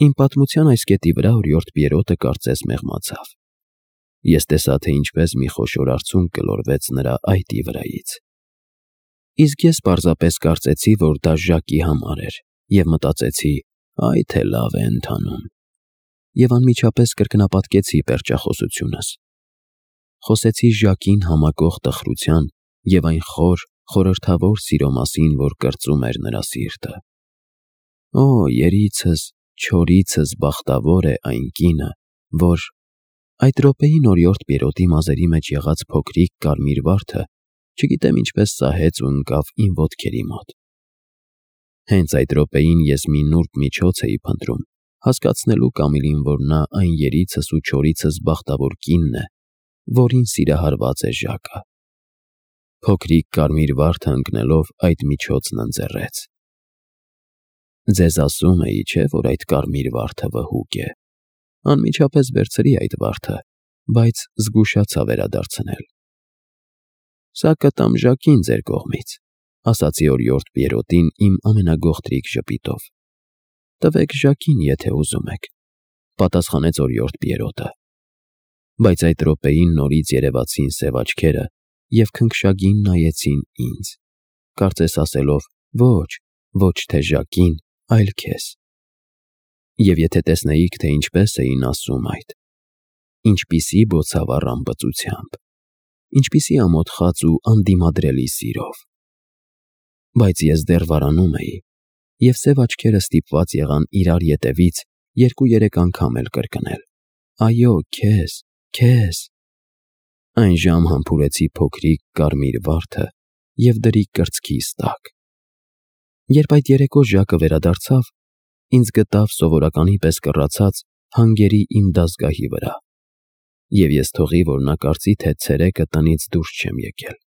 Իմ պատմության այս կետի վրա օրիորդ Պիերոտը կարծես մեղմացավ։ Ես տեսա, թե ինչպես մի խոշոր արցունք գլորվեց նրա այտի վրայից։ Իսկ ես պարզապես կարծեցի, որ դա Ժակի համար էր, և մտածեցի, այ թե լավ է ընթանում։ Եվ անմիջապես կրկնապատկեցի պերճախոսությունս։ Խոսեցի Ժակին համակող տխրության և այն խոր, խորհրդավոր սիրո մասին, որ կրծում էր նրա սիրտը։ Օ, երիցս, չորիցս բախտավոր է այն կինը, որ… Այդ րոպեին օրիորդ Պիերոտի մազերի մեջ եղած փոքրիկ կարմիր վարդը չգիտեմ ինչպես սահեց ու ընկավ իմ ոտքերի մոտ։ Հենց այդ րոպեին ես մի նուրբ միջոց էի փնտրում, հասկացնելու Կամիլին, որ նա այն երիցս ու չորիցս բախտավոր կինն է, որին սիրահարված է Ժակը։ Փոքրիկ կարմիր վարդը ընկնելով այդ միջոցն ընձեռեց։ Ձեզ ասում էի, չէ՞, որ այդ կարմիր վարդը վհուկ է։ Անմիջապես վերցրի այդ վարդը, բայց զգուշացա վերադարձնել։ Սա կտամ Ժակին ձեր կողմից, ասացի օրիորդ Պիերոտին իմ ամենագողտրիկ ժպիտով։ Տվեք Ժակին, եթե ուզում եք, պատասխանեց օրիորդ Պիերոտը։ Բայց այդ րոպեին նորից երևացին սև աչքերը և քնքշագին նայեցին ինձ, կարծես ասելով. ոչ, ոչ թե Ժակին, այլ քեզ։ Եվ եթե տեսնեիք, թե ինչպես էին ասում այդ, ինչպիսի բոցավառ ամպծությամբ, ինչպիսի ամոթխած ու անդիմադրելի սիրով։ Բայց ես դեռ վարանում էի, և սև աչքերը ստիպված եղան իրար ետևից 2-3 անգամ էլ կրկնել. այո, քեզ, քեզ։ Այն ժամ համբուրեցի փոքրիկ կարմիր վարդը և դրի կրծքիս տակ։ Երբ այդ երեկո Ժակը վերադարձավ, ինձ գտավ սովորականի պես կռացած հանգերի իմ դազգահի վրա, և ես թողի, որ նա կարծի, թե ցերեկը տնից դուրս չեմ եկել։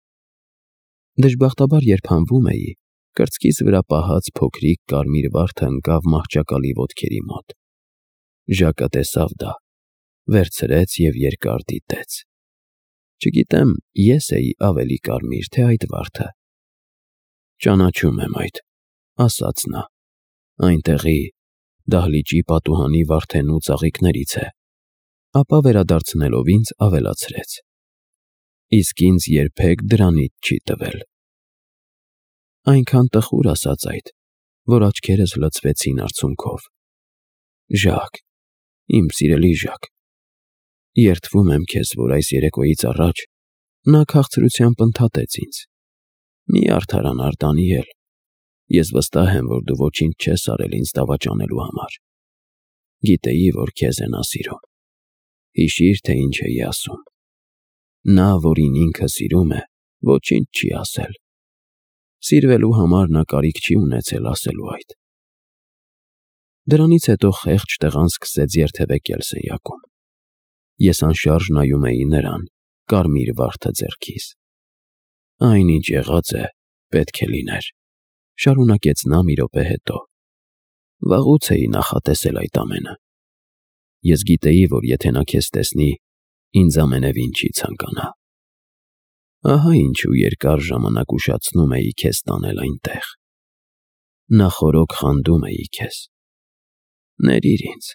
Դժբախտաբար, երբ հանվում էի, կրծքիս վրա պահած փոքրիկ կարմիր վարդը ընկավ մահճակալի ոտքերի մոտ։ Ժակը տեսավ դա, վերցրեց և երկար դիտեց։ Չգիտեմ, ես էի ավելի կարմիր, թե այդ վարդը։ Ճանաչում եմ այդ, ասաց նա, այնտեղի դահլիճի պատուհանի վարդենու ծաղիկներից է, ապա վերադարձնելով ինձ ավելացրեց. իսկ ինձ երբեք դրանից չի տվել։ Այնքան տխուր ասաց այդ, որ աչքերս լցվեցին արցունքով։ Ժակ, իմ սիրելի Ժակ, երդվում եմ քեզ, որ այս երեկոյից առաջ նա քաղցրությամբ ընդհատեց ինձ. մի արդարանար Դանիել, ես վստահ եմ, որ դու ոչինչ չես արել ինձ դավաճանելու համար։ Գիտեի, որ քեզ է նա սիրում։ Հիշիր, թե ինչ էի ասում։ Նա, որին ինքը սիրում է, ոչինչ չի ասել։ Սիրվելու համար նա կարիք չի ունեցել ասելու այդ։ Դրանից հետո խեղճ տղան սկսեց երթևեկել սենյակում։ Ես անշարժ նայում էի նրան, կարմիր վարդը ձեռքիս։ Այնինչ եղած է, պետք է լիներ, շարունակեց նա մի րոպե հետո։ Վաղուց էի նախատեսել այդ ամենը։ Ես գիտեի, որ եթե նա քեզ տեսնի, ինձ ամենևին չի ցանկանա։ Ահա ինչու երկար ժամանակ ուշացնում էի քեզ տանել այնտեղ։ Նախօրոք խանդում էի քեզ։ Ներիր ինձ,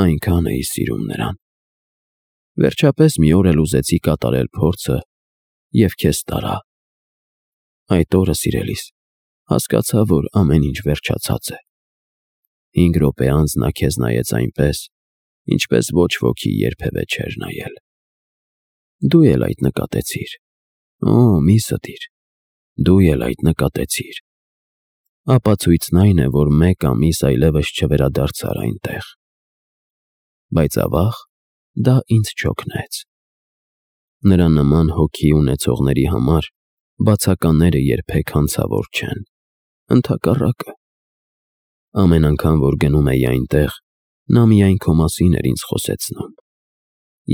այնքան էի սիրում նրան։ Վերջապես մի օր էլ ուզեցի կատարել փորձը և քեզ տարա։ Այդ օրը, սիրելիս, հասկացա, որ ամեն ինչ վերջացած է։ 5 րոպե անց նա քեզ նայեց այնպես, ինչպես ոչ ոքի երբևէ չէր նայել։ Դու էլ այդ նկատեցիր։ Օ, մի ստիր, դու էլ այդ նկատեցիր։ Ապացույցն այն է, որ 1 ամիս այլևս չվերադարձար այնտեղ։ Բայց ավաղ, դա ինձ չօգնեց։ Նրա նման հոգի ունեցողների համար բացականները երբեք հանցավոր չեն, ընդհակառակը։ Ամեն անգամ, որ գնում էի այնտեղ, նա միայն քո մասին էր ինձ խոսեցնում։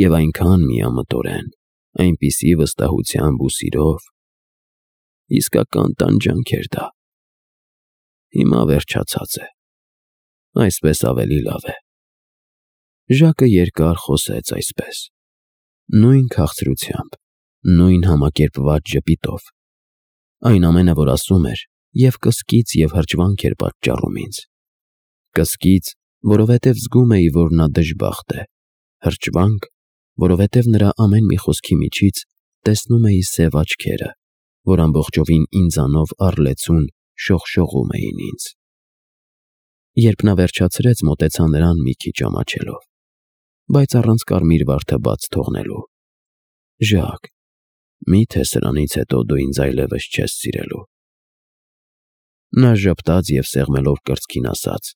Եվ այնքան միամտորեն, այնպիսի վստահությամբ ու սիրով… Իսկական տանջանք էր դա։ Հիմա վերջացած է։ Այսպես ավելի լավ է։ Ժակը երկար խոսեց այսպես, նույն քաղցրությամբ, նույն համակերպված ժպիտով։ Այն ամենը, որ ասում էր, և կսկիծ և հրճվանք էր պատճառում ինձ։ Կսկիծ որովհետև զգում էի, որ նա դժբախտ է, հրճվանք, որովհետև նրա ամեն մի խոսքի միջից տեսնում էի սև աչքերը, որ ամբողջովին ինձանով առլեցուն շողշողում էին ինձ։ Երբ նա վերջացրեց, մոտեցա նրան մի քիչ ամաչելով, բայց առանց կարմիր վարդը բաց թողնելու։ Ժակ, մի՞թե սրանից հետո դու ինձ այլևս չես սիրելու։ Նա ժպտաց և սեղմելով կրծքին ասաց.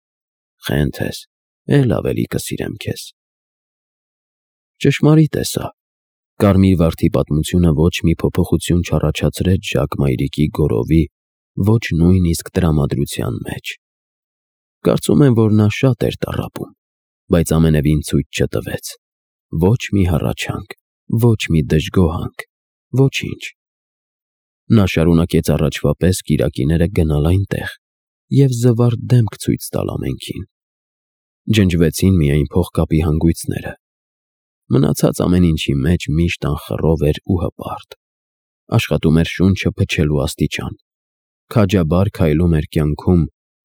Խենթ ես, էլ ավելի կսիրեմ քեզ։ Ճշմարիտ է սա։ Կարմիր վարդի պատմությունը ոչ մի փոփոխություն չառաջացրեց Ժակ մայրիկի գորովի, ոչ նույնիսկ տրամադրության մեջ։ Կարծում եմ, որ նա շատ էր տառապում, բայց ամենևին ցույց չտվեց։ Ոչ մի հառաչանք, ոչ մի դժգոհանք, ոչինչ։ Նա շարունակեց առաջվա պես կիրակիները գնալ այնտեղ և զվարթ դեմք ցույց տալ ամենքին։ Ջնջվեցին միայն փողկապի հանգույցները։ Մնացած ամեն ինչի մեջ միշտ անխռով էր ու հպարտ։ Աշխատում էր շունչը փչելու աստիճան։ Քաջաբար քայլում էր կյանքում,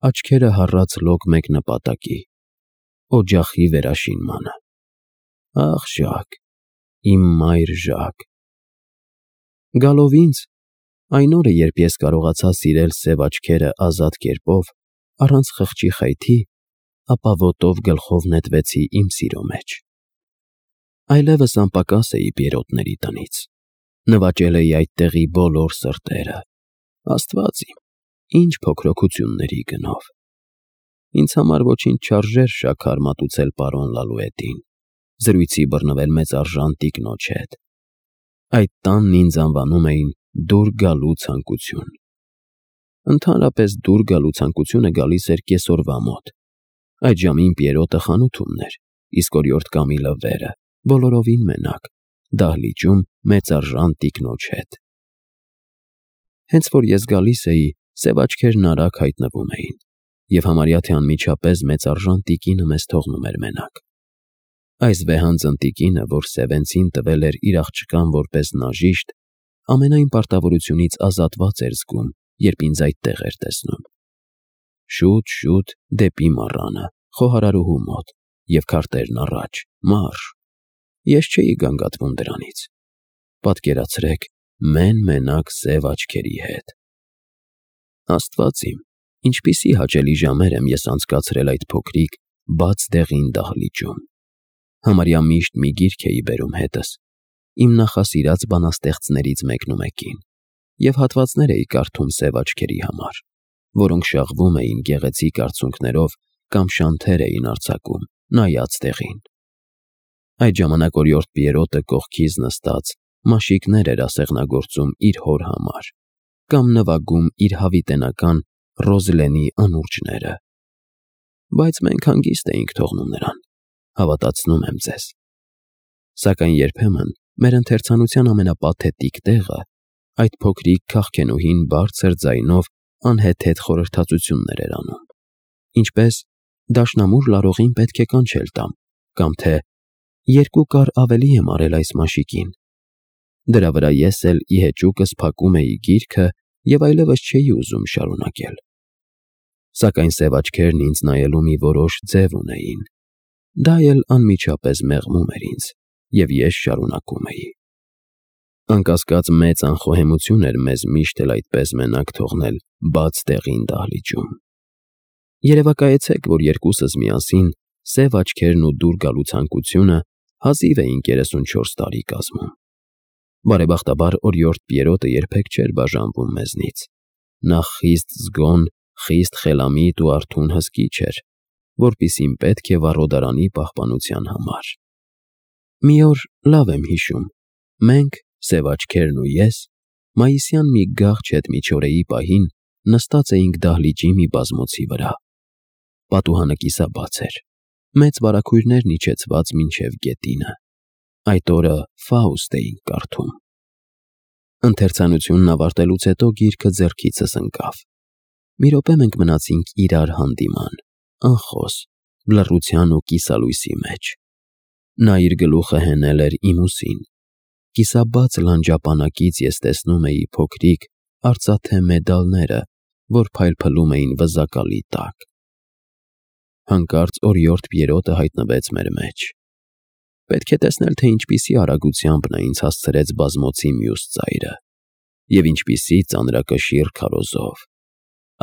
աչքերը հառած լոկ մեկ նպատակի՝ օջախի վերաշինմանը։ Ախ, Ժակ, իմ մայր Ժակ։ Գալով ինձ, այն օրը, երբ ես կարողացա սիրել սև աչքերը ազատ կերպով, առանց խղճի խայթի, ապա ոտով գլխով նետվեցի իմ սիրո մեջ։ Այլևս անպակաս էի Պիերոտների տնից։ Նվաճել էի այդտեղի բոլոր սրտերը։ Աստված իմ, ինչ փոքրոքությունների գնով։ Ինձ համար ոչինչ չարժեր շաքար մատուցել պարոն Լալուետին, զրույցի բռնվել մեծարժան տիկնոջ հետ։ Այդ տանն ինձ անվանում էին դուր գալու ցանկություն։ Ընդհանրապես դուր գալու ցանկությունը գալիս էր կեսօրվա մոտ։ Այդ ժամին Պիերոտը խանութում էր, իսկ օրիորդ Կամիլը վերը, բոլորովին մենակ, դահլիճում մեծարժան տիկնոջ հետ։ Հենց որ ես գալիս էի, սև աչքերն արագ հայտնվում էին, և համարյա թե անմիջապես մեծարժան տիկինը մեզ թողնում էր մենակ։ Այս վեհանձն տիկինը, որ Սևենցին տվել էր իր աղջկան որպես նաժիշտ, ամենայն պարտավորությունից ազատված էր զգում, երբ ինձ այդտեղ էր տեսնում։ Շուտ դեպի մառանը, խոհարարուհու մոտ, և քարտերն առաջ, մարշ։ Ես չէի գանգատվում դրանից։ Պատկերացրեք, մենակ սև աչքերի հետ։ Աստված իմ, ինչպիսի հաճելի ժամեր եմ ես անցկացրել այդ փոքրիկ, բաց դեղին դահլիճում։ Համարյա միշտ մի գիրք էի բերում հետս, իմ նախասիրած բանաստեղծներից մեկնումեկին, և հատվածներ էի կարդում սև աչքերի համար, որոնք շաղվում էին գեղեցիկ արցունքներով կամ շանթեր էին արձակում, նայած տեղին։ Այդ ժամանակ օրիորդ Պիերոտը կողքիս նստած մաշիկներ էր ասեղնագործում իր հոր համար կամ նվագում իր հավիտենական Ռոզլենի անուրջները։ Բայց մենք հանգիստ էինք թողնում նրան, հավատացնում եմ ձեզ։ Սակայն երբեմն մեր ընթերցանության ամենապաթետիկ տեղը այդ փոքրիկ քաղքենուհին բարձր ձայնով անհեթեթ խորհրդածություններ էր անում, ինչպես «Դաշնամուր լարողին պետք է կանչել տամ» կամ թե «Երկու կար ավելի եմ արել այս մաշիկին»։ Դրա վրա ես էլ ի հեճուկս փակում էի գիրքը և այլևս չէի ուզում շարունակել։ Սակայն սև աչքերն ինձ նայելու մի որոշ ձև ունեին։ Դա էլ անմիջապես մեղմում էր ինձ, և ես շարունակում էի։ Անկասկած մեծ անխոհեմություն էր մեզ միշտ էլ այդպես մենակ թողնել բաց դեղին դահլիճում։ Երևակայեցեք, որ երկուսս միասին, սև աչքերն ու դուր գալու ցանկությունը, հազիվ էին 34 տարի կազմում։ Բարեբախտաբար օրիորդ Պիերոտը երբեք չէր բաժանվում մեզնից։ Նա խիստ զգոն, խիստ խելամիտ ու արթուն հսկիչ էր, որպիսին պետք է վառոդարանի պահպանության համար։ Մի օր լավ եմ հիշում, մենք, սև աչքերն ու ես, մայիսյան մի գաղջ հետմիջօրեի պահին նստած էինք դահլիճի մի բազմոցի վրա։ Պատուհանը կիսաբաց էր, մեծ վարագույրներն իջեցված մինչև գետինը։ Այդ օրը Ֆաուստ էինք կարդում։ Ընթերցանությունն ավարտելուց հետո գիրքը ձեռքիցս ընկավ։ Մի րոպե մենք մնացինք իրար հանդիման, անխոս, լռության ու կիսալույսի մեջ։ Նա իր գլուխը հենել էր իմ ուսին։ Կիսաբաց լանջապանակից ես տեսնում էի փոքրիկ, արծաթե մեդալները, որ փայլփլում էին վզակալի տակ։ Հանկարծ օրիորդ Պիերոտը հայտնվեց մեր մեջ։ Պետք է տեսնել, թե ինչպիսի արագությամբ նա ինձ հասցրեց բազմոցի մյուս ծայրը և ինչպիսի ծանրակշիռ քարոզով։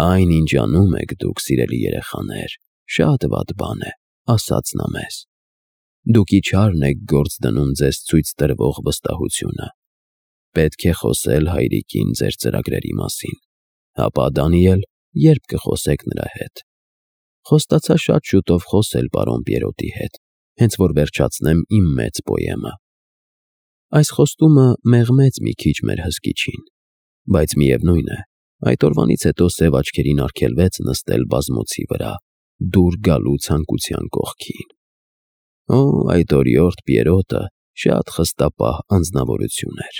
«Այն, ինչ անում եք դուք, սիրելի երեխաներ, շատ վատ բան է», ասաց նա մեզ։ «Դուք իչարն եք գործ դնում ձեզ ցույց տրվող վստահությունը։ Պետք է խոսել հայրիկին ձեր ծրագրերի մասին, ապա, Դանիել, երբ կխոսեք նրա հետ»։ Խոստացա շատ շուտով խոսել պարոն Պիերոտի հետ, հենց որ վերջացնեմ իմ մեծ պոեմը։ Այս խոստումը մեղմեց մի քիչ մեր հսկիչին, բայց միևնույն է, այդ օրվանից հետո սև աչքերին արգելվեց նստել բազմոցի վրա, դուր գալու ցանկության կողքին։ Օ, այդ օրիորդ Պիերոտը շատ խստապահ անձնավորություն էր։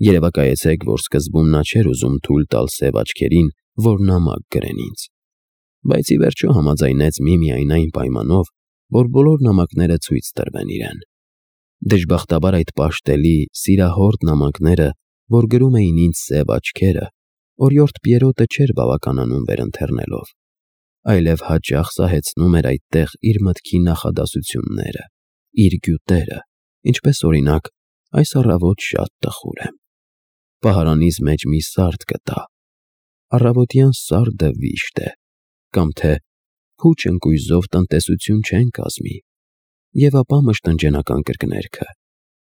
Երևակայեցեք, որ սկզբում նա չէր ուզում թույլ տալ սև աչքերին, որ նամակ գրեն ինձ, բայց ի վերջո համաձայնեց միմիայն այն պայմանով, որ բոլոր նամակները ցույց տրվեն իրեն։ Դժբախտաբար այդ պաշտելի, սիրահորդ նամակները, որ գրում էին ինձ սև աչքերը, օրիորդ Պիերոտը չէր բավականանում վերընթեռնելով, այլև հաճախ սահեցնում էր այդտեղ իր մտքի նախադասությունները, իր գյուտերը, ինչպես օրինակ, այս առավոտ շատ տխուր եմ։ Պահարանիս մեջ մի սարդ կտա։ Առավոտյան սարդը վիշտ է, կամ թե փուչ ընկույզով տնտեսություն չեն կազմի։ Եվ ապա մշտնջենական կրկներքը.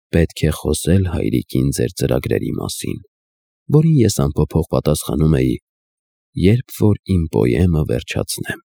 «Պետք է խոսել հայրիկին ձեր ծրագրերի մասին», որին ես անփոփոխ պատասխանում էի. «Երբ որ իմ պոեմը վերջացնեմ»։